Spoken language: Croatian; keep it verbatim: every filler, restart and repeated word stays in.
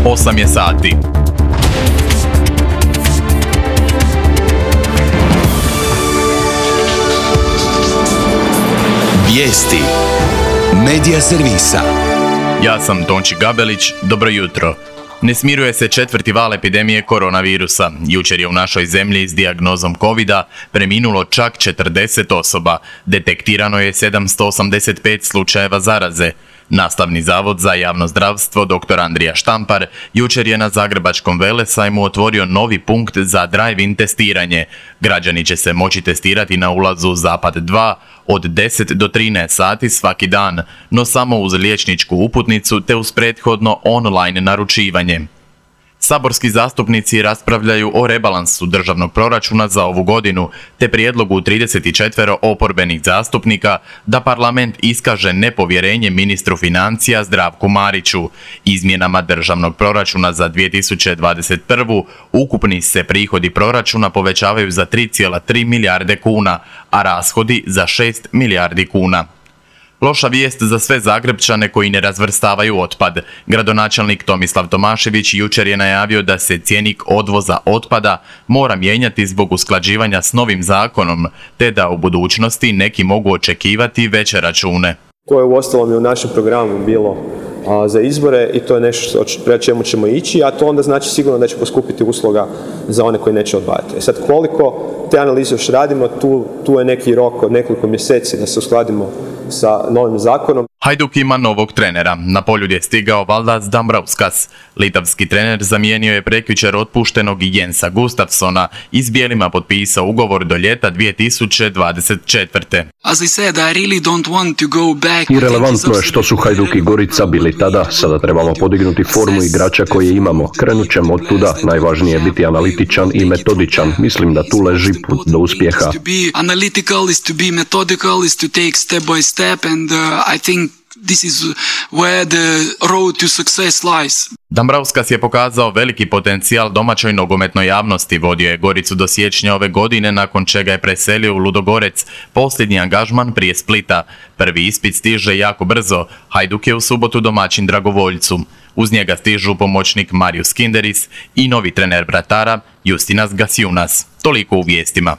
osam je sati. Vijesti Medija servisa. Ja sam Tonči Gabelić, dobro jutro. Ne smiruje se četvrti val epidemije koronavirusa. Jučer je u našoj zemlji s dijagnozom kovida preminulo čak četrdeset osoba. Detektirano je sedamsto osamdeset pet slučajeva zaraze. Nastavni zavod za javno zdravstvo dr. Andrija Štampar jučer je na Zagrebačkom Velesajmu otvorio novi punkt za drive-in testiranje. Građani će se moći testirati na ulazu Zapad dva od deset do trinaest sati svaki dan, no samo uz liječničku uputnicu te uz prethodno online naručivanje. Saborski zastupnici raspravljaju o rebalansu državnog proračuna za ovu godinu, te prijedlogu trideset četiri oporbenih zastupnika da parlament iskaže nepovjerenje ministru financija Zdravku Mariću. Izmjenama državnog proračuna za dvije tisuće dvadeset prvu. ukupni se prihodi proračuna povećavaju za tri zarez tri milijarde kuna, a rashodi za šest milijardi kuna. Loša vijest za sve Zagrepčane koji ne razvrstavaju otpad. Gradonačelnik Tomislav Tomašević jučer je najavio da se cjenik odvoza otpada mora mijenjati zbog usklađivanja s novim zakonom, te da u budućnosti neki mogu očekivati veće račune. To je uostalom i u našem programu bilo a, za izbore i to je nešto prema čemu ćemo ići, a to onda znači sigurno da će poskupiti usluga za one koji neće odvajati. E sad koliko te analize još radimo, tu, tu je neki rok od nekoliko mjeseci da se uskladimo sa novim zakonom. Hajduk ima novog trenera. Na poljud je stigao Valdas Dambrauskas. Litavski trener zamijenio je prekjučer otpuštenog Jensa Gustafsona i s bijelima potpisao ugovor do ljeta dvije tisuće dvadeset četvrte. Irelevantno je što su Hajduk i Gorica bili tada, sada trebamo podignuti formu igrača koje imamo. Krenut ćemo od tuda, najvažnije je biti analitičan i metodičan. Mislim da tu leži put do uspjeha. This is where the road to success lies. Dambrauskas je pokazao veliki potencijal domaćoj nogometnoj javnosti, vodio je Goricu do siječnja ove godine, nakon čega je preselio u Ludogorec, posljednji angažman prije Splita. Prvi ispit stiže jako brzo, Hajduk je u subotu domaćin Dragovoljcu. Uz njega stižu pomoćnik Marius Kinderis i novi trener vratara Justinas Gasjunas. Toliko u vijestima.